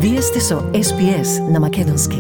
Вие сте со SPS на македонски.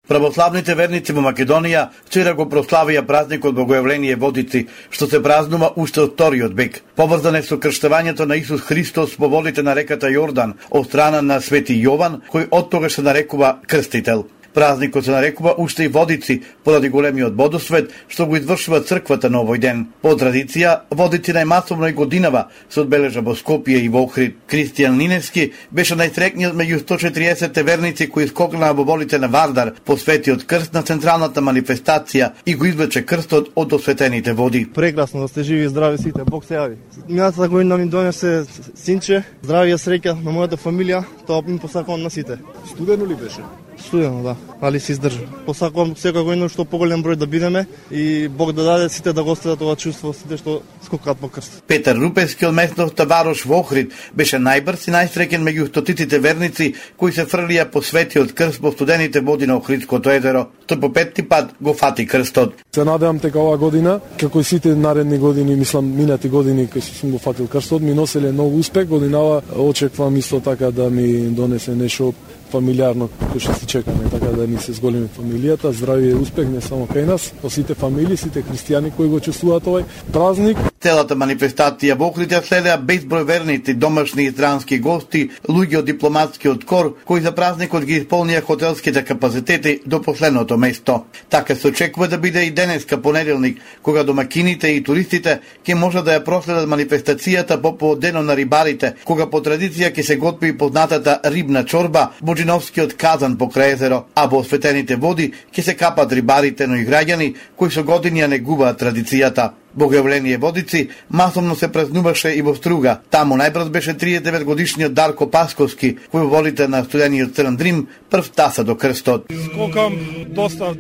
Православните верници во Македонија вчера го прославија празникот Богојавление Водици, што се празнува уште од вториот век. Поврзан е со крштевањето на Исус Христос во водите на реката Јордан од страна на Свети Јован, кој оттогаш се нарекува Крстител. Празникот се нарекува уште и Водици, поради големиот водосвет што го извршува црквата на овој ден. По традиција, Водици најмасовно и годинава се одбележа во Скопје и во Охрид. Кристијан Линевски беше најсрекниот меѓу 140 верници кои скокнаа во водите на Вардар по Светиот крст на централната манифестација и го извлече крстот од осветените води. Прекрасно да сте живи и здрави сите, Бог се јави. Минатата година ми донесе синче, здравје и среќа на мојата фамилија, тоа им посакувам на сите. Студено ли беше? Студено, да, али се издржа. Посакувам секоја година што поголем број да бидеме и Бог да даде сите да го остадат ова чувство, сите што скокаат по крст. Петар Рупевски од местноста Варош во Охрид беше најбрз и најсреќен меѓу стотиците верници кои се фрлија по Светиот крст во студените води на Охридското езеро. Тој по петти пат го фати крстот. Се надевам дека оваа година, како и сите наредни години, мислам минати години кога сум го фатил крстот, ми носеле многу успех. Годинава очекувам исто така да ми донесе нешто фамилиарно кој што се чекаме, така да ни се зголеми фамилијата, здравје и успех не само кај нас, но сите фамилии, сите христијани кои го чествуваат овој празник. Целата манифестација во Охрид ја следеа безброј верници, домашни и странски гости, луѓе од дипломатскиот кор, кои за празникот ги исполнија хотелските капацитети до последното место. Така се очекува да биде и денеска понеделник, кога домакините и туристите ќе можат да ја проследат манифестацијата по поводено на рибарите, кога по традиција ќе се готви познатата рибна чорба, Боџиновскиот казан покрај езеро, а во осветените води ќе се капат рибарите, но и граѓани кои со години ја негуваат традицијата. Богојавление Водици масовно се празнуваше и во Струга. Таму најбрз беше 39 годишниот Дарко Пасковски, кој во водите на студениот Црн Дрим прв таса до крстот. Скокам доста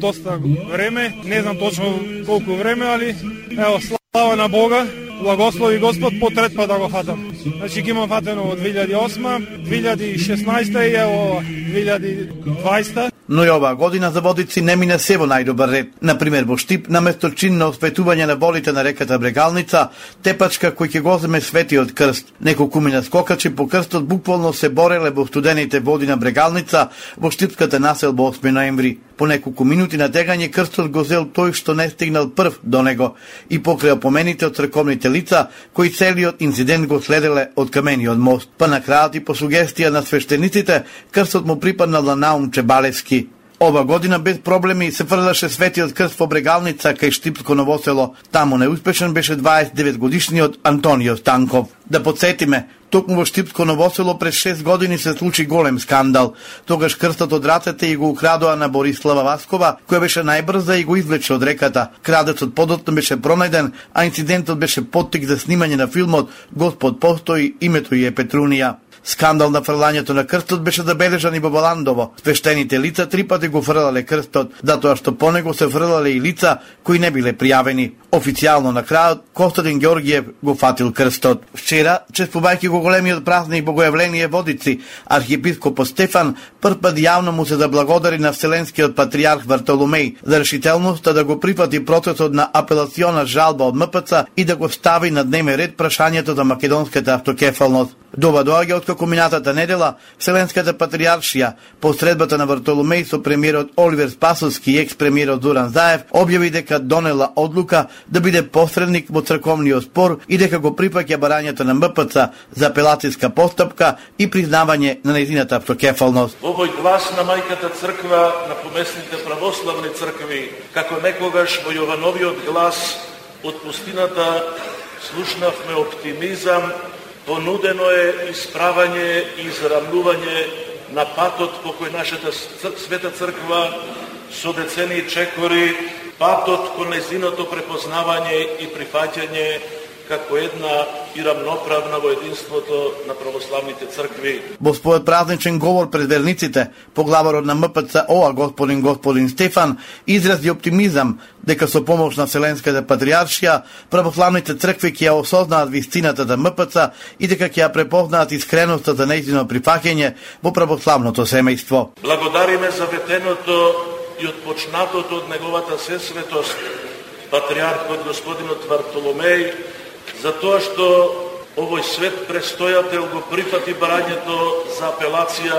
време, не знам точно колку време, али ево, слава на Бога, благослови Господ по трет пат да го фатам. Значи ги имам фатено од 2008, 2016 и ево 2020. Но и оваа година за Водици не мина се во најдобар ред. Например, во Штип, наместо чинно осветување на водите на реката Брегалница, тепачка кој ќе го земе Светиот крст. Неколкумина скокачи по крстот буквално се бореле во студените води на Брегалница во штипската населба 8 ноември. По неколку минути на тегање крстот го зел тој што не стигнал прв до него и покрај опомените од црковните лица кои целиот инцидент го следеле од камениот мост. Па на крајот и по сугестија на свештениците, крстот му припаднал на Наум Чебалевски. Ова година без проблеми се фрлаше Светиот крст во Брегалница кај Штипско Новосело. Таму неуспешен беше 29 годишниот Антонио Станков. Да подсетиме, токму во Штипско Новосело пред 6 години се случи голем скандал. Тогаш крстот од рацете и го украдоа на Борислава Васкова, која беше најбрза и го извлече од реката. Крадецот подоцна беше пронајден, а инцидентот беше поттик за снимање на филмот Господ постои, името ѝ е Петрунија. Скандал на фрлањето на крстот беше забележан и во Баландово. Свештените лица 3 пати го фрлале крстот, затоа што по него се фрлале и лица кои не биле пријавени. Официјално на крајот Костадин Ѓоргиев го фатил крстот. Вчера, чествувајќи го големиот празник Богојавление Водици, архиепископот Стефан прв пат јавно му се заблагодари на Вселенскиот патријарх Вартоломеј за решителноста да го прифати процесот на апелациона жалба од МПЦ и да го стави на дневен ред прашањето за македонската автокефалност. Дова доаѓа откако минатата недела Вселенската патријаршија по средбата на Вартоломеј со премиерот Оливер Спасовски и екс-премиерот Зоран Заев објави дека донела одлука да биде посредник во црковниот спор и дека го припаќа барањето на МПЦ за апелацијска постапка и признавање на нејзината автокефалност. Овој глас на мајката црква на помесните православни цркви, како некогаш во Јовановиот глас од пустината слушнавме оптимизам, понудено е исправање и израмнување на патот по кој нашата света црква со децени чекори, патот кон нејзиното препознавање и прифаќање како една и рамноправна во единството на православните цркви. Во својот празничен говор пред верниците, поглаварот на МПЦ ОА господин Стефан изрази оптимизам дека со помош на Вселенската патријаршија православните цркви ќе ја осознаат вистината за МПЦ и дека ќе ја препознаат искреноста за нејзино прифаќање во православното семејство. Благодариме за ветеното и отпочнатото од неговата сесветост, патријархот господинот Вартоломеј, за тоа што Овој свет престојател го прифати барањето за апелација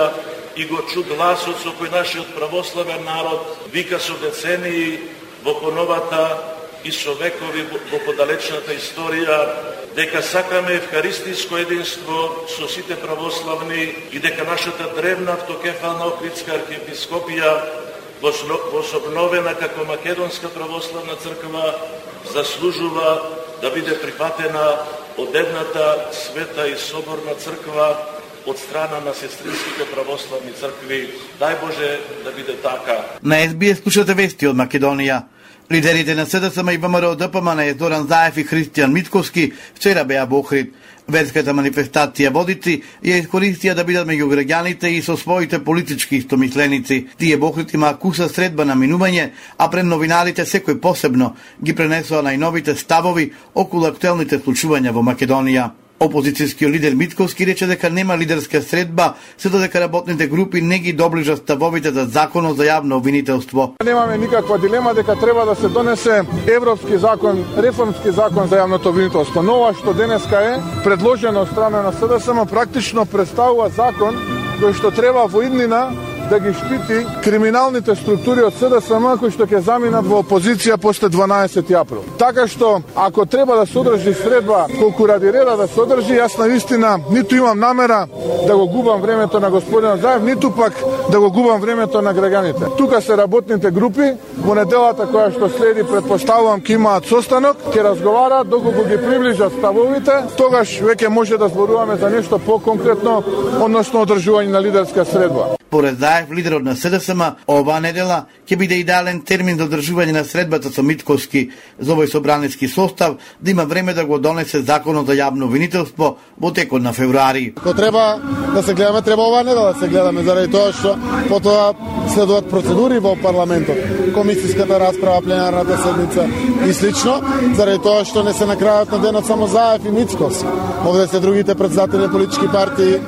и го чу гласот со кој нашиот православен народ вика со децении во поновата и со векови во подалечната историја дека сакаме евхаристиско единство со сите православни и дека нашата древна автокефална Охридска архиепископија возобновена како Македонска православна црква заслужува да биде прифатена од едната света и соборна црква од страна на сестринските православни цркви. Дај Боже да биде така. На SBS слушате вести од Македонија. Лидерите на СДСМ и ВМРО ДПМН Зоран Заев и Христијан Мицковски вчера беа во Охрид. Верската манифестација водици ја искористија да бидат меѓу граѓаните и со своите политички истомисленици. Тие во Охрид имаа куса средба на минување, а пред новинарите секој посебно ги пренесоа најновите ставови околу актуелните случувања во Македонија. Опозицијскиот лидер Мицковски рече дека нема лидерска средба, се додека работните групи не ги доближат ставовите за законот за јавно обвинителство. Немаме никаква дилема дека треба да се донесе европски закон, реформски закон за јавното обвинителство. Но ова што денеска е предложено од страна на СДСМ практично представува закон кој што треба во иднина да ги штити криминалните структури од СДСМ кои што ќе заминат во опозиција после 12 април. Така што, ако треба да се одржи средба колку ради реда да се одржи, јас навистина ниту имам намера да го губам времето на господинот Заев, ниту пак да го губам времето на граѓаните. Тука се работните групи, во неделата која што следи, предпоставувам ќе имаат состанок, ќе разговараат, доколку ги приближат ставовите, тогаш веќе може да зборуваме за нешто поконкретно, односно одржување на лидерска средба. Поред Заев, лидерот на СДСМ, оваа недела ќе биде идеален термин за одржување на средбата со Мицковски за овој собраниски состав да има време да го донесе законот за јавно обвинителство во текот на февруари. Ако треба да се гледаме, треба оваа недела да се гледаме, заради тоа што потоа следуваат процедури во парламентот, комисиската расправа, пленарната седница и слично, заради тоа што не се накрајат на денот само Заев и Мицковски. Овде се другите претседатели на политички партии,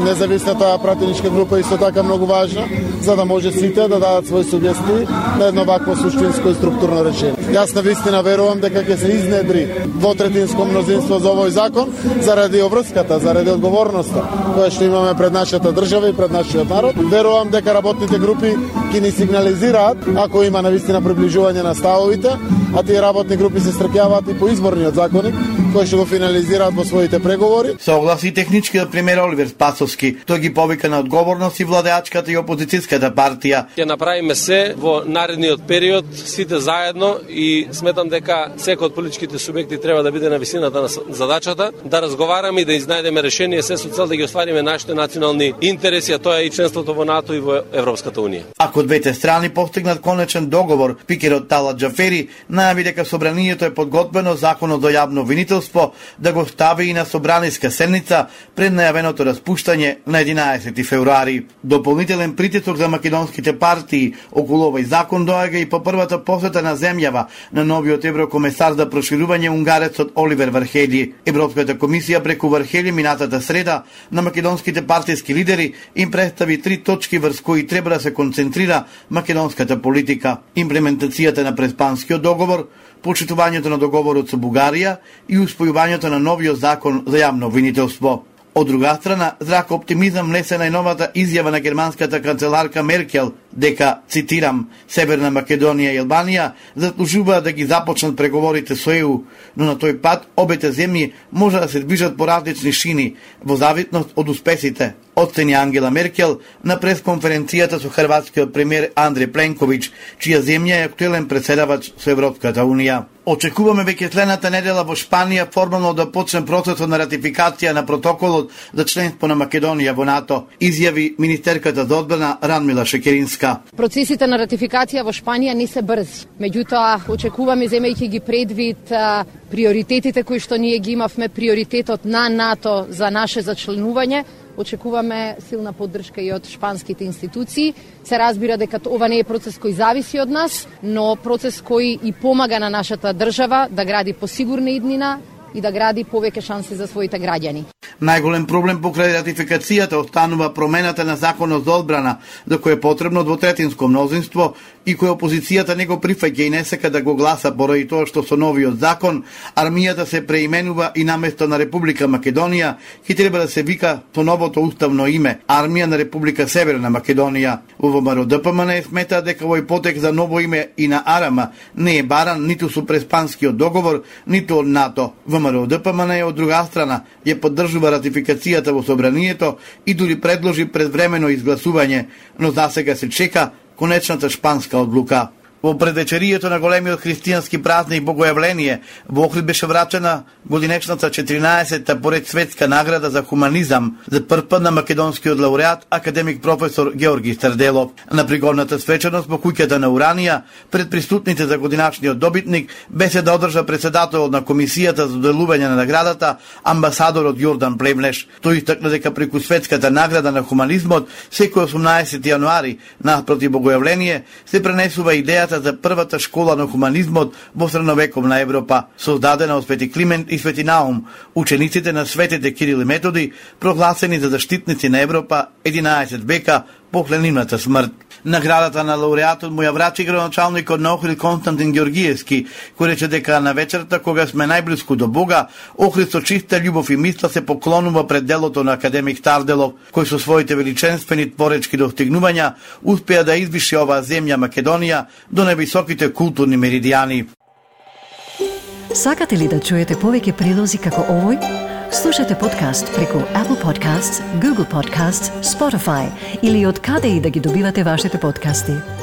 независната пратеничка група исто така многу важна, за да може сите да дадат своји сугестии на едно вакво суштинско и структурно решение. Јас навистина верувам дека ќе се изнедри двотретинско мнозинство за овој закон заради обврската, заради одговорноста која што имаме пред нашата држава и пред нашиот народ. Верувам дека работните групи ќе ни сигнализираат ако има навистина приближување на ставовите, а тие работни групи се стрекјаваат и по изборниот законник кој што го финализираат во своите преговори. Согласи техничкиот премиер Оливер Спасовски. Тој ги повика на одговорност и владеачката и опозицијската партија. Ќе направиме се во наредниот период сите заедно и сметам дека секој од политичките субјекти треба да биде на висината на задачата, да разговараме и да изнајдеме решение се со цел да ги оствариме нашите национални интереси, а тоа е и членството во НАТО и во Европската унија. Ако двете страни постигнат конечен договор, спикерот Талат Џафери најави дека собранието е подготвено законот за јавно обвинителство да го стави и на собраниска седница пред најавеното распуштање на 11 февруари. Дополнителен притисок за македонските партии околу овој закон доаѓа и по првата посета на земјава на новиот еврокомесар за проширување унгарецот Оливер Вархели. Европската комисија преку Вархели минатата среда на македонските партиски лидери им представи 3 точки врз кои треба да се концентрира македонската политика: имплементацијата на Преспанскиот договор, почитувањето на договорот со Бугарија и успојувањето на новиот закон за јавно обвинителство. Од друга страна, зрак оптимизам лесе најновата изјава на германската канцеларка Меркел дека, цитирам, Северна Македонија и Албанија заслужуваат да ги започнат преговорите со ЕУ, но на тој пат обете земји може да се движат по различни шини во зависност од успесите, оцени Ангела Меркел на пресконференцијата со хрватскиот премиер Андреј Пленковиќ, чија земја е актуелен претседавач со Европската унија. Очекуваме веќе следната недела во Шпанија формално да почне процесот на ратификација на протоколот за членство на Македонија во НАТО, изјави министерката за одбрана Радмила Шекеринска. Процесите на ратификација во Шпанија не се брзи. Меѓутоа, очекуваме, земејќи ги предвид приоритетите кои што ние ги имавме, приоритетот на НАТО за наше зачленување, очекуваме силна поддршка и од шпанските институции. Се разбира дека ова не е процес кој зависи од нас, но процес кој и помага на нашата држава да гради посигурна иднина и да гради повеќе шанси за своите граѓани. Најголем проблем покрај ратификацијата останува промената на законот за одбрана, за кој е потребно двотретинско мнозинство и кој опозицијата не го прифаќа и не сака да го гласа поради тоа што со новиот закон армијата се преименува и наместо на Република Македонија ќе треба да се вика по новото уставно име Армија на Република Северна Македонија. Во ВМРО-ДПМН смета дека овој потек за ново име и на Арама не е баран ниту со преспанскиот договор, ниту од НАТО. ВМРО-ДПМН од друга страна ја поддржува ратификацијата во собранието и дури предложи предвремено изгласување, но засега се чека конечната шпанска одлука. Во предвечерието на големиот христијански празник Богојавление, во Охрид беше врачена годинечната 14-та поред светска награда за хуманизам за прв пат на македонскиот лауреат академик професор Георги Старделов. На пригодната свечаност во куќата на Уранија, пред присутните за годиначниот добитник, беседа одржа председателот на комисијата за доделување на наградата, амбасадорот Јордан Плевнеш. Тој истакна дека преку светската награда на хуманизмот, секој 18 јануари, наспроти Богојавление, се пренесува идејата за првата школа на хуманизмот во средновековна Европа, создадена од Свети Климент и Свети Наум, учениците на светите Кирил и Методи, прогласени за заштитници на Европа 11 века после нивната смрт. Наградата на лауреатот му ја врачи градоначалникот на Охрид Константин Ѓоргиевски, кој рече дека на вечерта кога сме најблиску до Бога, Охрид со чиста љубов и мисла се поклонува пред делото на академик Старделов, кој со своите величенствени творечки достигнувања успеа да извиши оваа земја Македонија до највисоките културни меридијани. Сакате ли да чуете повеќе прилози како овој? Слушате подкаст преку Apple Podcasts, Google Podcasts, Spotify или од каде и да ги добивате вашите подкасти.